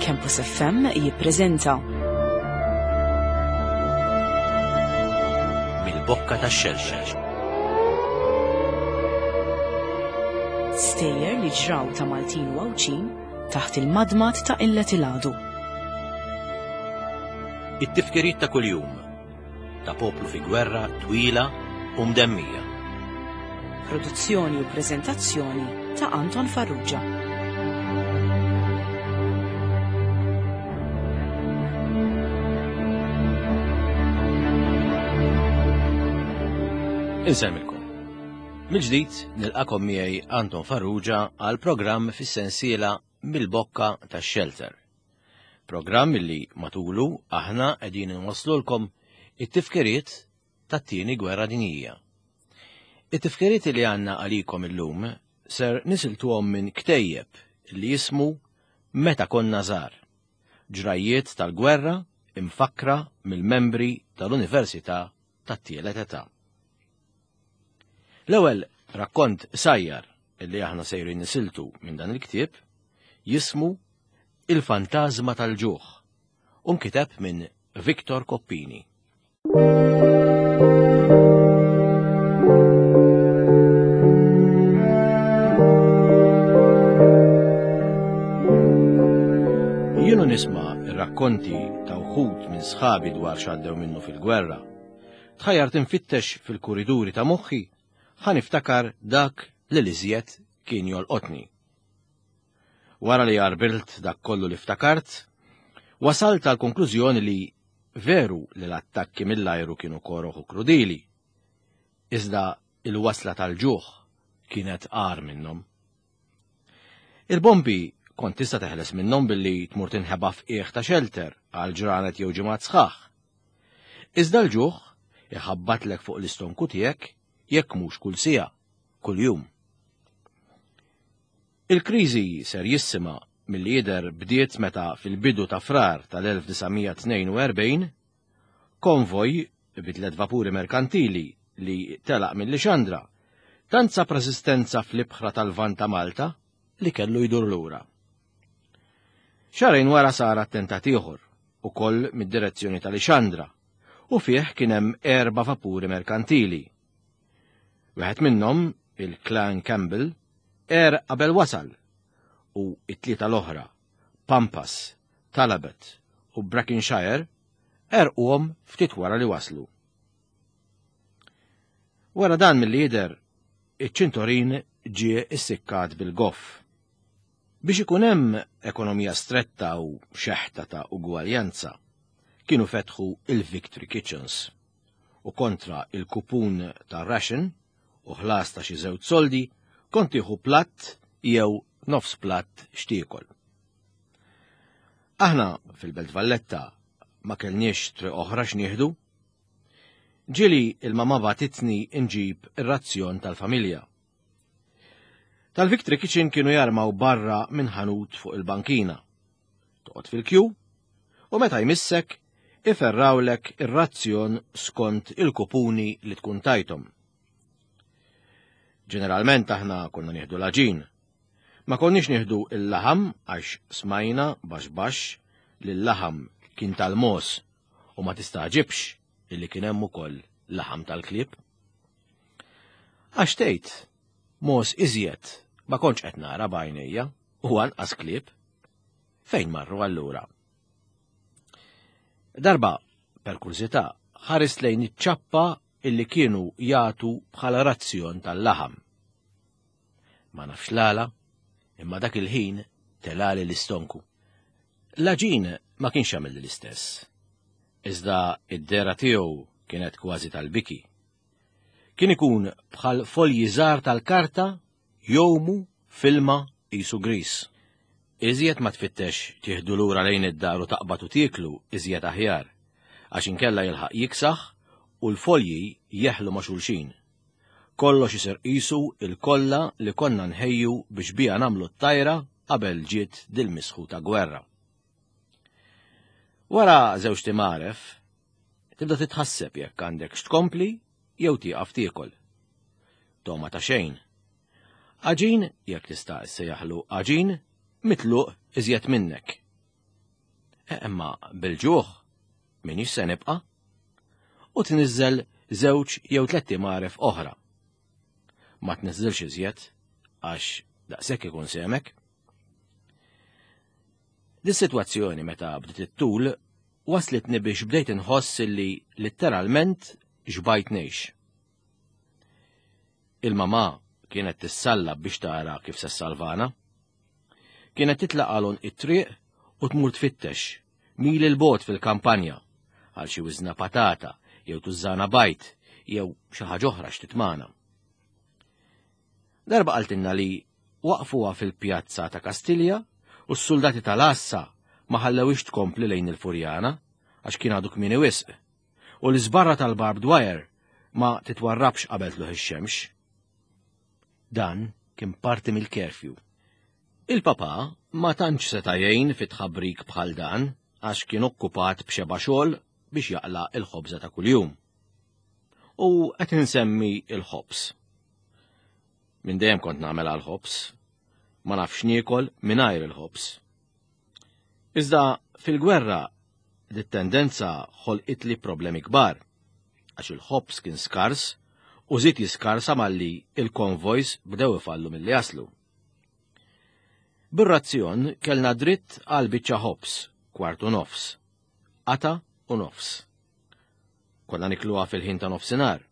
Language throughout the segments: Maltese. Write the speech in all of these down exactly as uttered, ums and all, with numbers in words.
Campus F M jippreżenta Mill-Bokka tax-Xelxel. Stejjer li ġraw ta' Maltin u Għawdxin taħt il-madmad ta' Illet il-Għadu. It-tifkiriet ta' kuljum ta' poplu fi gwerra twila u mdemmija. Produzzjoni u preżentazzjoni ta' Anton Farrugia. Insemmilkom. Mill-ġdid nilqakom miegħi Anton Farrugia għal programm fis-sensiela Mill-Bokka tax-Shelter. Programm li matulu aħna qegħdin inwasslulkom it-tifkiriet tat-tieni gwerra dinjija. It-tifkiriet li għandna għalikom illum ser nisiltuhom minn ktejjeb li jismu Meta konna żgħar, ġrajjiet tal-gwerra imfakkra mill-membri tal-Università tat-Tielet Età. L-ewwel rakkont sajjar li aħna sejrin nisiltu minn dan il-ktieb jismu Il-Fantażma tal-Ġuħ u nkiteb minn Victor Coppini. Jienu nisma' r-rakkonti ta' wħud minn sħabi dwar x'għaddew minnu fil-gwerra. Tħajjart infittex fil-kuriduri ta' moħħi ħa niftakar dak li l-iżjed kien jolqotni. Wara li għarbilt dak kollu li ftakart, wasalt għal konklużjoni li veru li l-attakki mill-ajru kienu koroħ u krudili, iżda il-wasla tal-ġuħ kienet agħar minnhom. Il-bombi kont tista' teħles minnhom billi tmur tinħeba f'qiegħ ta' xelter għal ġranet jew ġimgħat sħaħ. Iżda l-ġuħ iħabbatlek fuq l-istonku tiegħek jekk mhux kull siegħa, kuljum. Il-kriżi serjissima milli jidher bdiet meta fil-bidu ta' Frar tal-elf disa' mija tnejn u erbgħin konvoj bi tliet vapuri merkantili li telaq minn Lixandra tant sab resistenza fl-ibħra tal-Lvant ta' Malta li kellu jdur lura. Xahrejn wara sar attentat ieħor, ukoll mid-direzzjoni ta' Lixandra, u fih kien hemm erba' vapuri merkantili. Wieħed minnhom, il-Clan Campbell, er qabel wasal, u it-tlieta l-oħra, Pampas, Talabot u Brackenshire, erquhom ftit wara li waslu. Wara dan mill-lider, iċ-ċintorin ġie issikkat bil-goff. Biex ikun hemm ekonomija stretta u xeħta ta' ugwaljanza, kienu fetħu il-Victory Kitchens u kontra il-kupun ta' ration u ħlas ta' xi żewġ soldi kont tieħu platt jew nofs platt xtiekol. Aħna fil-Belt Valletta ma kellniex triq oħra x'nieħdu. Ġieli il-mama bagħtitni nġib ir-razzjon tal-familja. Tal-Victory Kitchen kienu jarmaw barra minn ħanut fuq il-bankina. Toqgħod fil-kju u meta jmissek iferrawlek ir-razzjon skont il-kupuni li tkun tajthom. Ġeneralment aħna konna nieħdu l-għaġin. Ma konniex nieħdu il-laħam għax smajna baxx baxx li l-laħam kien tal-mos u ma tistaġibx illi kien hemm ukoll laħam tal-klieb. Għax tgħid, mos iżjed ma kontx qed nara b'għajnejja u anqas klieb. Fejn marru allura? Darba, per kurżità, ħarist lejn iċ-ċappa illi kienu jagħtu bħala razzjon tal-laħam. Ma nafx l-għala, imma dak il-ħin telali l-istonku. L-għaġin ma kienx jagħmel l-istess. Iżda id-dera tiegħu kienet kważi tal-biki. Kien ikun bħal folji żgħar tal-karta jowmu filma qisu gris. Iżjed ma tfittex tieħdu lura lejn id-dar u taqbad u tieklu iżjed aħjar, għax inkella jilħaq jiksaħ u l-folji jeħlu ma' xulxin. Kollox isir qisu il-kolla li konna nħejju biex biha nagħmlu t-tajra qabel ġiet dil-misħu ta' gwerra. Wara żewġ timaref, tibda titħasseb jekk għandek x'tkompli jew tieqaf tiekol. Toma ta' xejn. Għaġin, jekk tista' issejjaħlu għaġin, mitluq iżjed minnek. Imma bil-ġuħ minix se nibqa', u tniżżel żewġ jew tliet imgħaref oħra. Ma tniżżilx iżjed għax daqshekk ikun semek. Dis-sitwazzjoni meta bdiet it-tul waslitni biex bdejt inħoss li litteralment xbajt ngħix. Il-mamà kienet tissallab biex tara kif se ssalvana. Kienet titlaq għal it-triq u tmur tfittex mil il-bot fil-kampanja għal xi wiżna patata jew tużżana bajt jew xi ħaġa oħra x'titmana. Darba qaltilna li waqfuha fil-pjazza ta' Kastilja u s-soldati tal-Assa ma ħallewix tkompli lejn il-Furjana għax kien għadu kmieni wisq u l-iżbarra tal-barbed wire ma titwarrabx qabel tluħ ix-xemx. Dan kien parti mill-curfew. Il-papa ma tantx seta' jgħin fit tħabrik bħal dan għax kien okkupat b'xeba xogħol biex jaqla' il-ħobża ta' kuljum. U qed insemmi il-ħobż. Minn dejjem kont nagħmel għall-ħobż, ma nafx niekol mingħajr il-ħobż. Iżda fil-gwerra dit-tendenza ħolqitli problemi kbar, għax il-ħobż kien skars u żied jiskarsa malli il-konvojs bdew ifallu milli jaslu. Bir-razzjon kellna dritt għal biċċa ħobż, kwart u nofs, qata u nofs. Konna nikluha fil-ħin ta' nofsinhar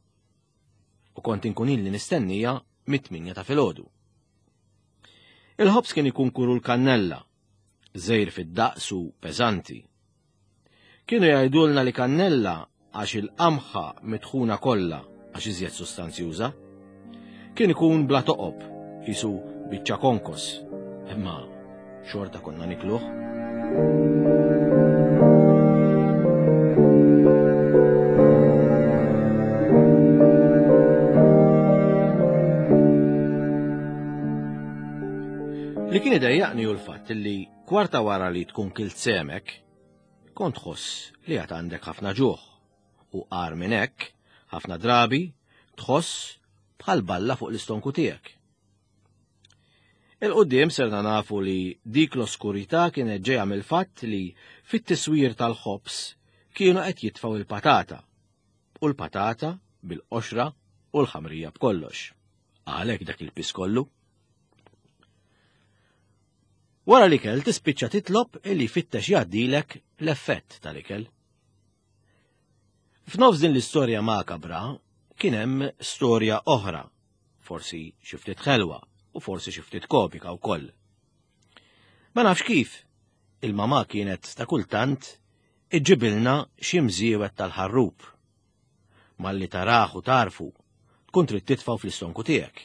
u kont inkun li nistennija mit-tminja ta' filgħodu. Il-ħobż kien ikun kuru l-kannella, żejr fid-daqs u peżanti. Kienu jgħidulna li kannella għax il-qamħa mitħuna kollha għax iżjed sustanzjuża. Kien ikun bla toqob, qisu biċċa konkos, imma xorta konna nikluh. Li kien idejjaqni hu l-fatt li kwarta wara li tkun kilt semek, kont tħoss li għad għandek ħafna ġuħ u qar minn hekk ħafna drabi tħoss bħal balla fuq l-istonku tiegħek. Il-qudiem serna nafu li dik l-oskurità kienet ġejja mill-fatt li fit-tiswir tal-ħobż kienu qed jitfgħu il-patata u l-patata bil-qoxra u l-ħamrija b'kollox. Għalhekk dak il-pis kollu. Wara l-ikel tispiċċa titlob illi jfittex jgħaddilek l-effett tal-ikel. F'nofs din l-istorja makabra kien hemm storja oħra, forsi xi ftit ħelwa u forsi xi ftit komika wkoll. Ma nafx kif, il-mamà kienet ta' kultant iġġibilna xi mżiewet tal-ħarrub. Malli taraħ u tarfu, tkun trid titfgħu fl-istonku tiegħek.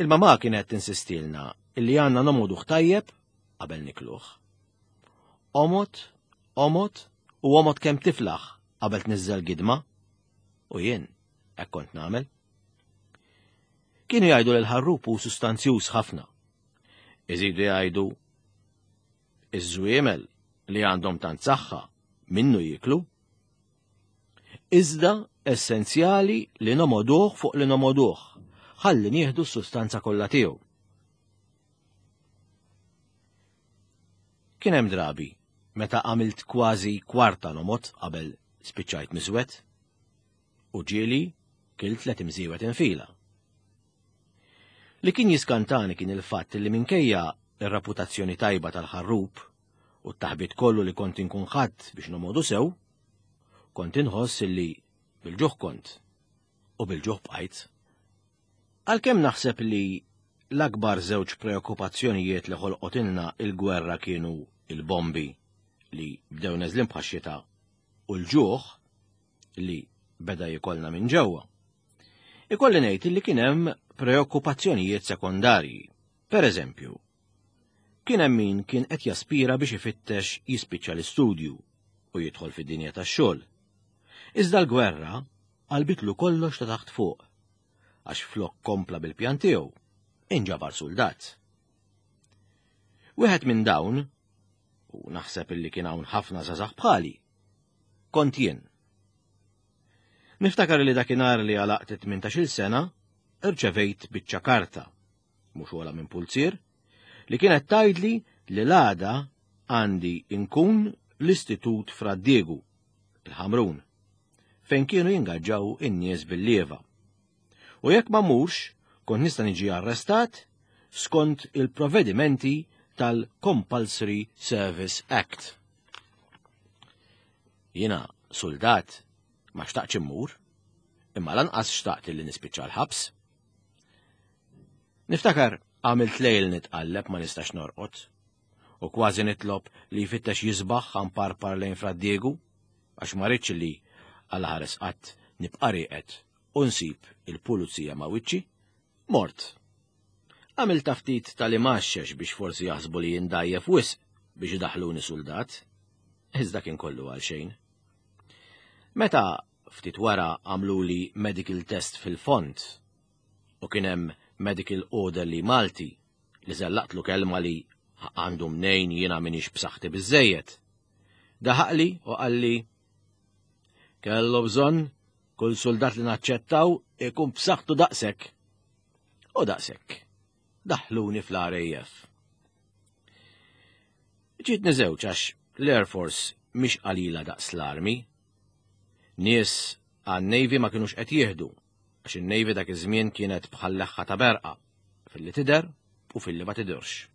Il-mamà kienet tinsistilna illi għandna nomoduh tajjeb qabel nikluh. Omot, omot u omot kemm tiflaħ qabel tniżżel gidma, u jien hekk kont nagħmel. Kienu jgħidu li l-ħarrub hu sustanzjuż ħafna. Iżidu jgħidu iż-żwiemel li għandhom tant saħħa minnu jiklu. Iżda essenzjali li nomoduh fuq li nomoduh, ħalli nieħdu s-sustanza kollha tiegħu. Kien hemm drabi meta għamilt kważi kwarta nomot qabel spiċċajt miżwed u ġieli kilt tliet imżiewet infila. Li kien jiskantani kien il-fatt li minkejja ir-reputazzjoni tajba tal-ħarrub u t-taħbit kollu li kont inkun ħadd biex nomodu sew, kont inħoss li bil-ġuħ kont u bil-ġuħ bqajt. Għalkemm naħseb li l-akbar żewġ preokkupazzjonijiet li ħolqotilna il-gwerra kienu il-bombi li bdew neżlin bħax-xita u l-ġuħ li beda jikolna minn ġewwa. Ikolli ngħid li kien hemm preokkupazzjonijiet sekondarji. Per eżempju, kien hemm min kien qed jaspira biex ifittex jispiċċa l-istudju u jidħol fid-dinja tax-xogħol. Iżda l-gwerra qalbitlu kollox ta' taħt fuq, għax flok kompla bil-pjan tiegħu, inġabar suldat. Wieħed minn dawn, u naħseb illi kien hawn ħafna żgħażagħ bħali, kont jien. Niftakar li dakinhar li għalaqt tmintax-il sena, irċevejt biċċa karta, mhux wara minn pulzier, li kienet tgħidli li l-għada għandi inkun l-Istitut Fra Diegu, il-Ħamrun, fejn kienu jingaġġaw in-nies bil-lieva. U jekk ma mmurx, kont nista' niġi arrestat skont il-provvedimenti tal-Compulsory Service Act. Jiena suldat ma xtaqtx immur, imma lanqas xtaqt li nispiċċa l-ħabs. Niftakar għamilt lejl nitqalleb ma nistax norqod, u kważi nitlob li jfittex jisbaħ parpar lejn Fra Diegu, għax ma rridx li għal ħares qatt nibqa' rieqed u nsib il-pulizija ma' wiċċi, mort. Għamilt ftit tal-imaxxex biex forsi jaħsbu li jindajjef wisq biex idaħluni suldat, iżda kien kollu għal xejn. Meta ftit wara għamluli medical test fil-font u kien hemm medical orderly Malti li żellaqtlu kelma li għandu mnejn jiena minix b'saħħti biżejjed. Daħaqli u qalli kellu bżonn kull soldat li naċċettaw ikun b'saħħtu daqshekk. U daqshekk. Daħluni fl-R A F. Ġietni żewġ għax l-Air Force mhix qalila daqs l-Army. Nies għan-Navy ma kinux qed jieħdu, għax in-Navy dak iż-żmien kienet bħal leħħa ta' berqa, filli tidher u filli ma tidirx.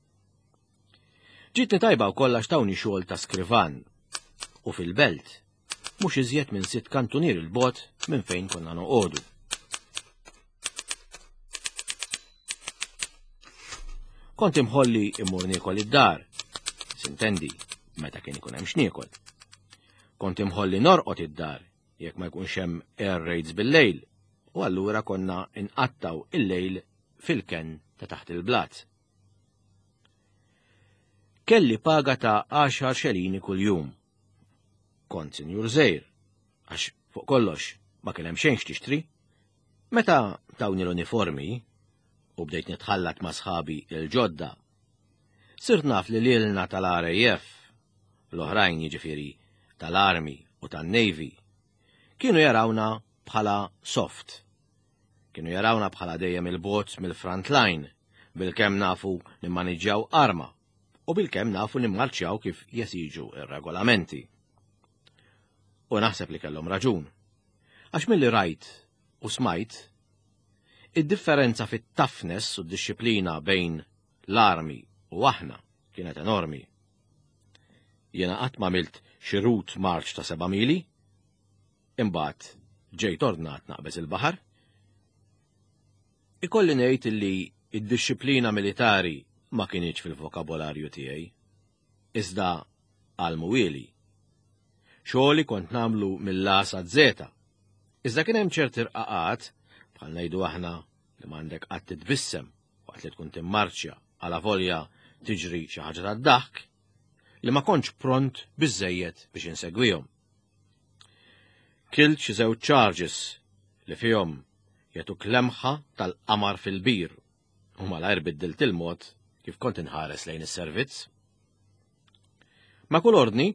Ġietni tajba wkoll għax tawni xogħol ta' skrivan u fil-belt, mhux iżjed minn sitt kantunier il-bogħod minn fejn konna noqogħdu. Kont imħolli immur niekol id-dar, sintendi, meta kien ikun hemm x'niekol. Kont imħolli norqod id-dar jekk ma jkunx hemm air raids bil-lejl, u allura konna inqattaw il-lejl fil-ken ta' taħt il-blat. Kelli paga ta' għaxar xelini kuljum. Kont sinjur żgħir, għax fuq kollox ma kien hemm xejn x'tixtri. Meta tawni l-uniformi u bdejt nitħallat ma' sħabi il-ġodda, sirt naf li lilna tal-R A F, l-oħrajn jiġifieri tal-Army u tan-Navy, kienu jarawna bħala soft. Kienu jarawna bħala dejjem il-bogħod mill-front line, bil-kemm nafu nimmaniġġjaw arma u bil-kemm nafu nimmarċjaw kif jesiġu ir-regolamenti. U naħseb li kellhom raġun. Għax milli rajt u smajt, id-differenza fit-toughness u d-disciplina bejn l-armi u aħna kienet enormi. Jena qatt ma għamilt xi route march ta' seba' mili, imbagħad ġejt ordnat naqbeż il-baħar. Ikolli ngħid illi id-disciplina militari ma kinitx fil-vokabolarju tiegħi. Iżda għal-mwieli. Xogħli kont nagħmlu mill-A sa Z. Iżda kien hemm ċerti rqaqat, bħal ngħidu aħna li m'għandek qatt titbissem waqt li tkun timmarċja għala volja tiġri xi ħaġa tad-daħk, li ma kontx pront biżejjed biex insegwihom. Kilt xi żewġ charges li fihom jagħtuk lemħa tal-qamar fil-bir u malajr biddilt il-mod kif kont inħares lejn is-servizz. Ma' kull ordni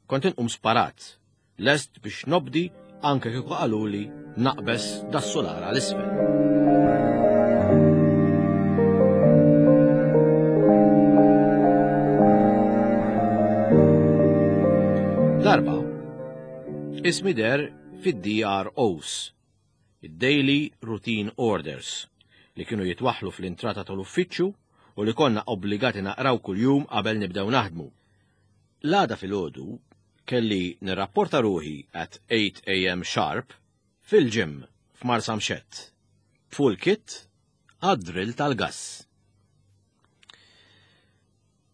kont inqum sparat, lest biex nobdi anke kieku qaluli naqbeż das-sular għal isfel. Darba, ismi deher fid-D R Os, id-Daily Routine Orders, li kienu jitwaħlu fl-intrata tal-uffiċċju u li konna obbligati naqraw kuljum qabel nibdew naħdmu. L-għada filgħodu kelli nirrapporta ruħi at eight A M sharp fil-gym f'Marsamxett, full kit għad-drill tal-gas.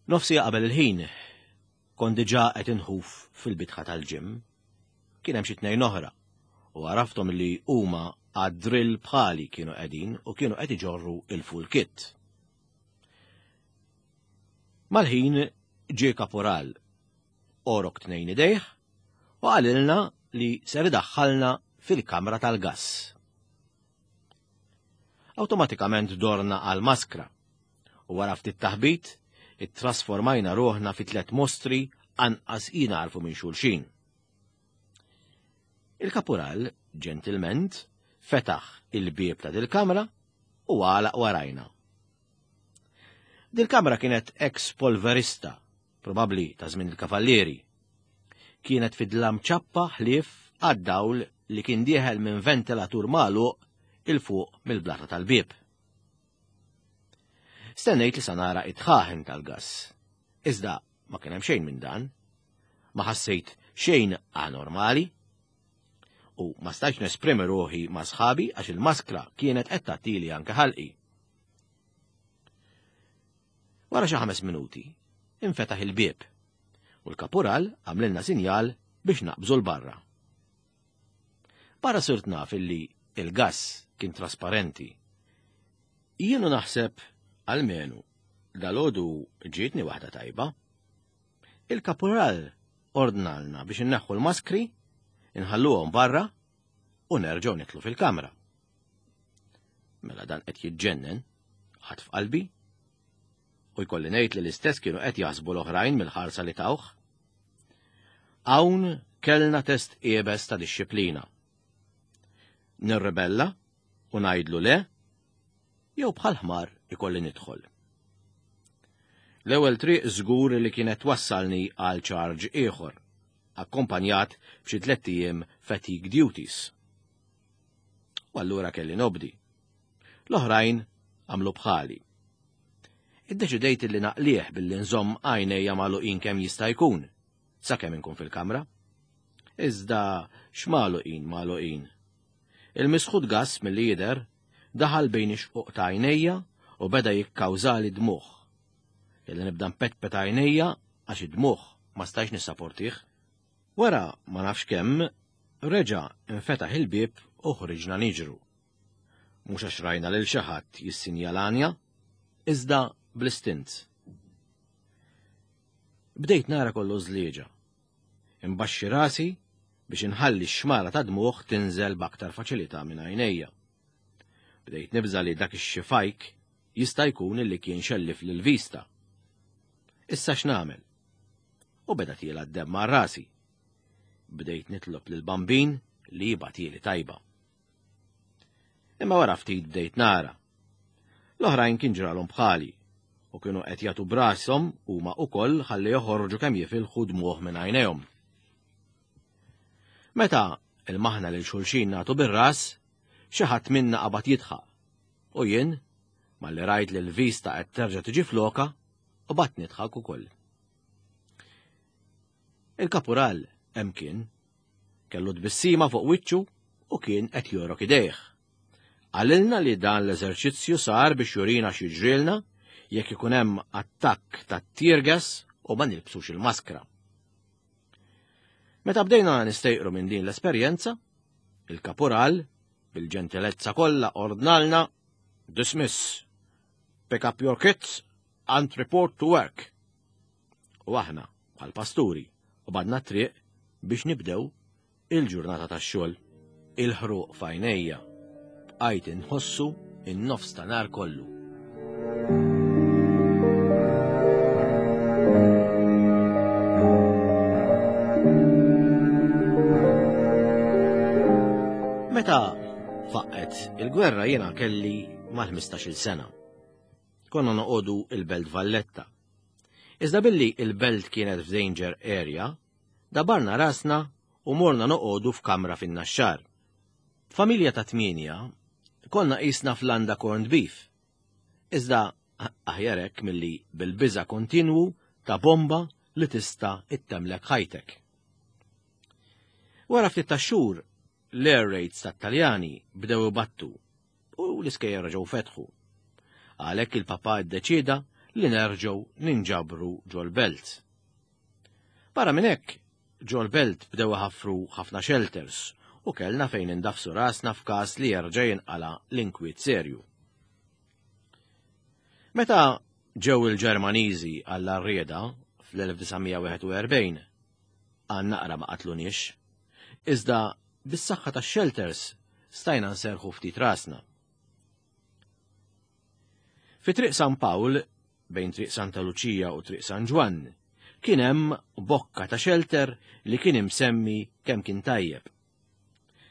Nofs siegħa qabel il-ħin, kont diġà qed inħuf fil-bitħa tal-gym. Kien hemm xi tnejn oħra u għarafthom li huma għad-drill bħali kienu qegħdin u kienu qed iġorru il-full kit. Mal-ħin ġie kaporal għorok tnejn idejh u qalilna li ser idaħħalna fil-kamra tal-gas. Awtomatikament dorna għal maskra u wara ftit taħbit ittrasformajna ruħna fi tlet mostri anqas jinagħrfu minn xulxin. Il-kapural, ġentilment, fetaħ il-bieb ta' dil-kamra u għalaq warajna. Dil-kamra kienet ex polverista probabbli ta' żmien il-kavallieri. Kienet fid-dlam ċappa ħlief għad-dawl li kien dieħel minn ventilatur magħluq 'il fuq mill-blata tal-bieb. Stennejt li sa nara it-tħaħen tal-gass. Iżda ma kien hemm xejn minn dan. Ma ħassejt xejn anormali. U ma stajtx nesprimi ruħi ma' sħabi għax il-maskra kienet qed tagħtili anke ħalqi. Wara xi ħames minuti, infetaħ il-bieb u l-kapural għamlilna sinjal biex naqbżu l-barra. Barra sirt naf illi il-gass kien trasparenti. Jienu naħseb almenu dal-għodu ġietni waħda tajba. Il-kapural ordnalna biex inneħħu l-maskri, inħalluhom barra u nerġgħu nitlu fil-kamra. Mela dan qed jiġġennen, ħadd f'qalbi, u jkolli ngħid li l-istess kienu qed jaħsbu l-oħrajn mill-ħarsa li tawh. Hawn kellna test iebes ta' dixxiplina. Nirrebella u ngħidlu le, jew bħal ħmar ikolli nidħol. L-ewwel triq żgur li kienet wassalni għal charge ieħor, akkompanjat b'xi tlett ijiem fatigue duties. U allura kelli nobdi. L-oħrajn għamlu bħali. Iddeċidejt li naqlih billi nżomm għajnejja magħluqin kemm jista' jkun, sakemm inkun fil-kamra. Iżda x'magħluqin magħluqin. Il-misħut gass milli jidher daħal bejn ix-xquq ta' għajnejja u beda jikkawżali dmugħ. Kelli nibda npetpet għajnejja għax id-dmugħ ma stajx nissaportih. Wara ma nafx kemm reġa' infetaħ il-bieb u ħriġna niġru. Mhux għax rajna lil xi ħadd jissinjalanja, iżda bl-istint. Bdejt nara kollu żlieġa. Imbaxxi rasi biex inħalli x-xmara ta' dmugħ tinżel b'aktar faċilità minn għajnejja. Bdejt nibża li dak ix-xifajk jista' jkun illi kien xellif lil vista. Issa x'nagħmel? U beda tiela d-demm ma' rasi. Bdejt nitlob lil bambin li jibgħatieli tajba. Imma wara ftit bdejt nara. L-oħrajn kien ġralhom bħali u kienu qed jagħtu brashom huma wkoll ħalli joħorġu kemm jifilħu dmugħ minn għajnejhom. Meta il-maħna lil xulxin nagħtu bir-ras, xi ħadd minna qabad jidħaq. U jien, malli rajt li l-vista qed terġa' tiġi floka, u bat nidħak ukoll. Il-kapural hemm kien, kellu tbissima fuq wiċċu u kien qed jorok idejh. Qalilna li dan l-eżerċizzju sar biex jurina x'jiġrilna jekk ikun hemm attakk ta' tear gas u ma nilbsux il-maskra. Meta bdejna nistejqru minn din l-esperjenza, il-kapural bil-ġentilezza kollha ordnalna dismiss, pick up your kits and report to work. U aħna bħal pasturi u badna triq biex nibdew il-ġurnata tax-xogħol. Il-ħruq f'għajnejja bqajt inħossu in-nofs ta' nar kollu. Meta faqqet il-gwerra jiena kelli mal-ħmistax-il sena. Konna noqogħdu il-Belt Valletta. Iżda billi il-belt kienet f'danger area, dabarna rasna u morna noqogħdu f'kamra fin-Naxxar. Familja ta' tmienja konna qisna f'landa corned beef. Iżda aħjar hekk milli bil-biża' kontinwu ta' bomba li tista' ittemlek ħajtek. Wara ftit ta' xhur, l-air raids tat-Taljani bdew ibattu u l-iskejjel reġgħu fetħu. Għalhekk il-papa ddeċieda li nerġgħu ninġabru ġol-belt. Barra minn hekk, ġol-belt bdew iħaffru ħafna shelters u kellna fejn indafsu rasna f'każ li jerġa' jinqala l-inkwiet serju. Meta ġew il-Ġermaniżi għall-arrieda fl-elf disa' mija wieħed u erbgħin, għan naqra ma qatluniex, iżda bis-saħħa tax-shelters stajna nserħu ftit rasna. Fi Triq San Pawl, bejn Triq Santa Luċija u Triq San Ġwann, kien hemm bokka ta' shelter li kien imsemmi kemm kien tajjeb.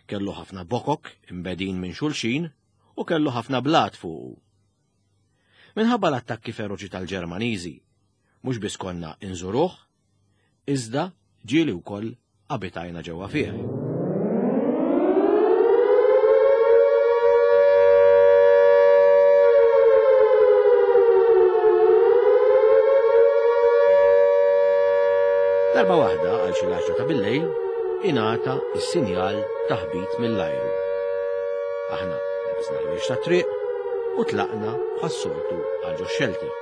Kellu ħafna bokok imbedin minn xulxin u kellu ħafna blat fuqu. Minħabba l-attakki feroċi tal-Ġermaniżi, Mhux biss konna inżuruh, iżda ġieli wkoll abitajna ġewwa fih. Darba waħda għal xi l-għaxra ta' billejl ingħata s-sinjal ta' ħbit mill-ajru. Aħna libisna l-wiex tat-triq u tlaqna bħas-soltu għal ġo xelter.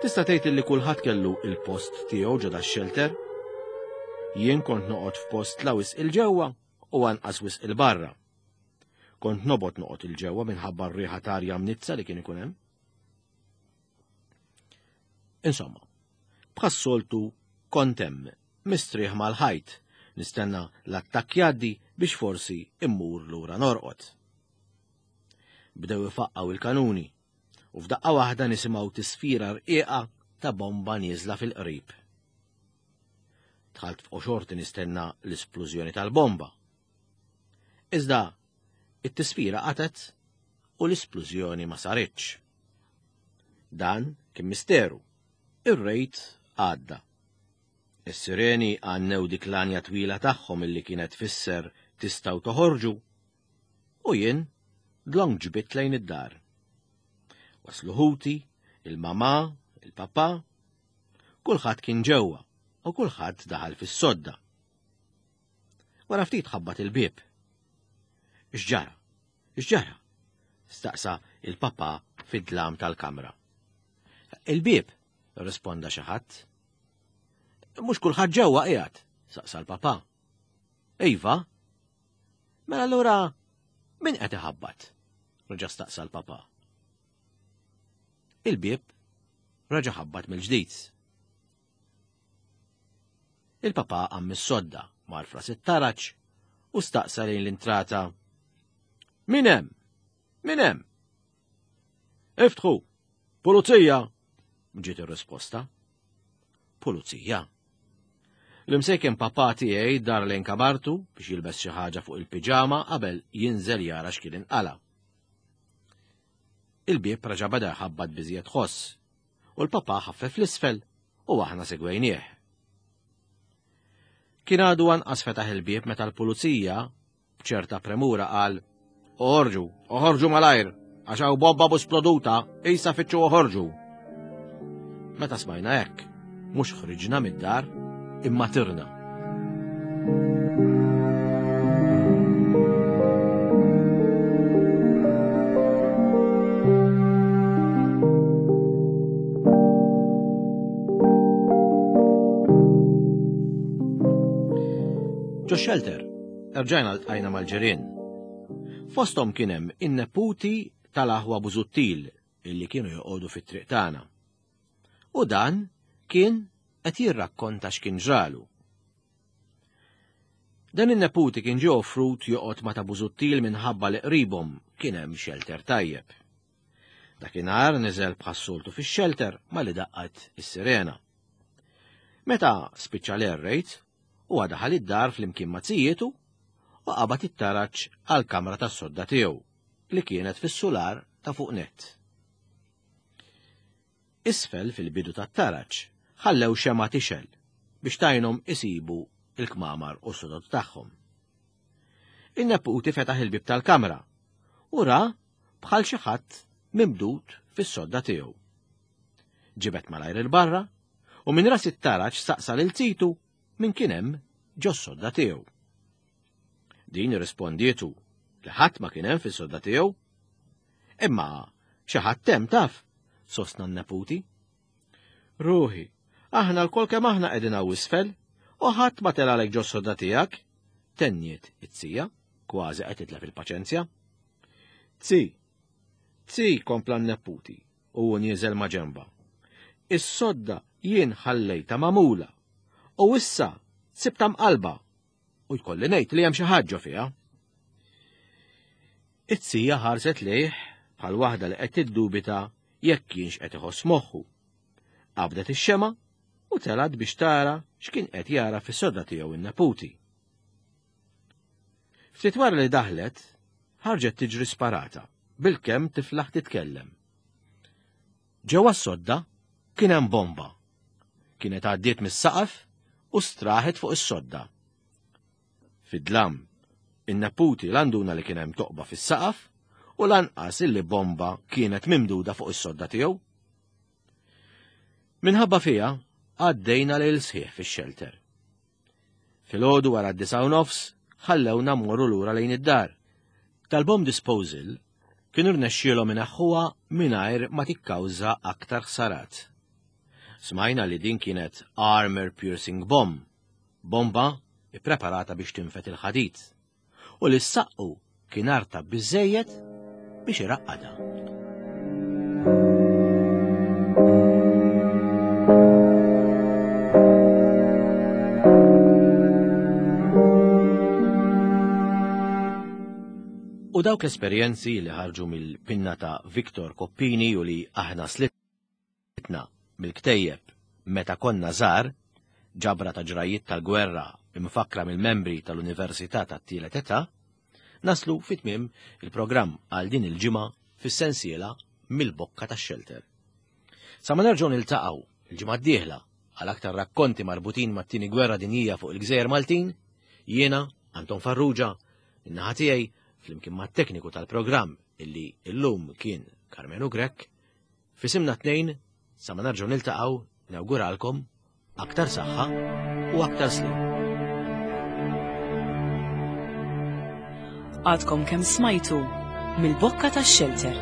Tista' tgħid li kulħadd kellu il-post tiegħu ġo dax-xelter? Jien kont noqgħod f'post la wisq il-ġewwa u anqas wisq il-barra. Kont nobgħod noqgħod il-ġewwa minħabba r-riħa t'arja mnizza li kien ikun hemm. Insomma, bħas-soltu kont hemm mistrieħ mal-ħajt, nistenna l-attakk jgħaddi biex forsi immur lura norqod. Bdew ifaqqgħu il-kanuni u f'daqqa waħda nisimgħu tisfira rqiqa ta' bomba nieżla fil-qrib. Dħalt f'qoxorti nistenna l-isplużjoni tal-bomba. Iżda it-tisfira qatet u l-isplużjoni ma saritx. Dan kien misteru. Ir-rejt għadda. Is-sireni għannew dik l-anja twila tagħhom illi kienet tfisser tistgħu toħorġu u jien dlonk ġbit lejn id-dar. Waslu ħuti, il-mamà, il-papà, kulħadd kien ġewwa u kulħadd daħal fis-sodda. Wara ftit ħabbat il-bieb. X'ġara? X'ġara? Staqsa il-papà fid-dlam tal-kamra. Il-bieb, risponda xi ħadd. Mhux kulħadd ġewwa qiegħed, saqsa l-papà. Iva. Mela allura min qed iħabbat? Reġa' staqsa l-papà. Il-bieb reġa' ħabbat mill-ġdid. Il-papà qam mis-sodda, mar fras it-taraġ u staqsa lejn l-intrata. Min hemm? Min hemm? Iftħu! Pulizija! Ġiet ir-risposta. Pulizija. L-imsejken papà tiegħi dar lejn kamartu biex jilbes xi ħaġa fuq il-piġama qabel jinżel jara x'kien inqala. Il-bieb reġa' beda jħabbat biżjed ħoss u l-papà ħaffef l-isfel u aħna segwejnieh. Kien għadu anqas fetaħ il-bieb meta l-pulizija b'ċerta premura qal: Oħorġu, oħorġu malajr, għax hawn bomba sploduta, issa fittxu oħorġu. Meta smajna hekk, mhux ħriġna mid-dar, imma tirna. Ġo xelter, erġajna ltqajna mal-ġirien. Fosthom kien hemm in-neputi tal-aħwa Busuttil illi kienu joqogħdu fit-triq tagħna. U dan kien qed jirrakkonta x'kien ġralu. Dan in-neputi kien ġie offrut joqgħod ma' ta' Busuttil minħabba li qribhom kien hemm xelter tajjeb. Dakinhar niżel bħas-soltu fix-xelter malli daqqat is-sirena. Meta spiċċa l-air raid, huwa daħal id-dar flimkien ma' zijietu u qabad it-taraġ għall-kamra tas-sodda tiegħu li kienet fis-sular ta' fuq nett. Isfel fil-bidu tat-taraġ ħallew xema tixel biex tajnhom isibu il-kmamar u s-sodod tagħhom. In-neputi fetaħ il-bib tal-kamra u ra bħal xi ħadd mimdud fis-sodda tiegħu. Ġibet malajr il-barra u minn ras it-taraġ staqsa lil zitu min kien hemm ġo s-sodda tiegħu. Din irrispondietu li ħadd ma kien hemm fis-sodda tiegħu. Imma xi ħadd hemm taf, sostna n-neputi. Ruħi, aħna lkoll kemm aħna qegħdin hawn isfel u ħadd ma telgħalek ġo s-sodda tiegħek, tenniet it-tija, kważi qed titlef il-paċenzja. Zi, zi, kompla n-neputi u hu nieżel ma' ġenba. Is-sodda jien ħallejta magħmula u issa sibta mqalba u jkolli ngħid li hemm xi ħaġa fiha. It-tija ħarset lejh bħal waħda li qed tiddubita jekk kienx qed iħoss moħħu. Qabdet ix-xema u telgħet biex tara x'kien qed jara fis-sodda tiegħu in-neputi. Ftit wara li daħlet, ħarġet tiġri sparata, bilkemm tiflaħ titkellem. Ġewwa s-sodda kien hemm bomba. Kienet għaddiet mis-saqaf u straħet fuq is-sodda. Fid-dlam, in-neputi la nduna li kien hemm toqba fis-saqaf u lanqas illi bomba kienet mimduda fuq is-sodda tiegħu. Minħabba fiha għaddejna lejl sħiħ fix-xelter. Filgħodu wara d-disgħa u nofs ħallewna mmorru lura lejn id-dar. Tal-bomb disposal kienu rnexxielhom ineħħuha mingħajr ma tikkawża aktar ħsarat. Smajna li din kienet armor piercing bomb, bomba ippreparata biex tinfed il-ħadid, u li s-saqqu kien artab biżżejjed biex iraqqadha. U dawk l-esperjenzi li ħarġu mill-pinna ta' Victor Coppini u li aħna slitna mill-ktejjeb Meta Konna Żgħar, ġabra ta' ġrajiet tal-gwerra imfakkra mill-membri tal-Università tat-Tielet Età, naslu fi tmiem il-programm għal din il-ġimgħa fis-sensiela Mill-Bokka tax-Xelter. Sa ma nerġgħu niltaqgħu il-ġimgħa d-dieħla għal aktar rakkonti marbutin mat-Tieni Gwerra Dinjija fuq il-Gżejjer Maltin, jiena Anton Farrugia, min-naħa tiegħi flimkien mat-tekniku tal-programm illi illum kien Karmenu Grech, f'isimna tnejn sa ma nerġgħu niltaqgħu nawguralkom aktar saħħa u aktar slim. Għadkom kemm smajtu Mill-Bokka tax-Xelter.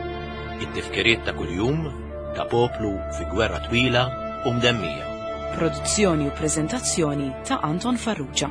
It-tifkiriet ta' kuljum ta' poplu fi gwerra twila u mdemmija. Produzzjoni u preżentazzjoni ta' Anton Farrugia.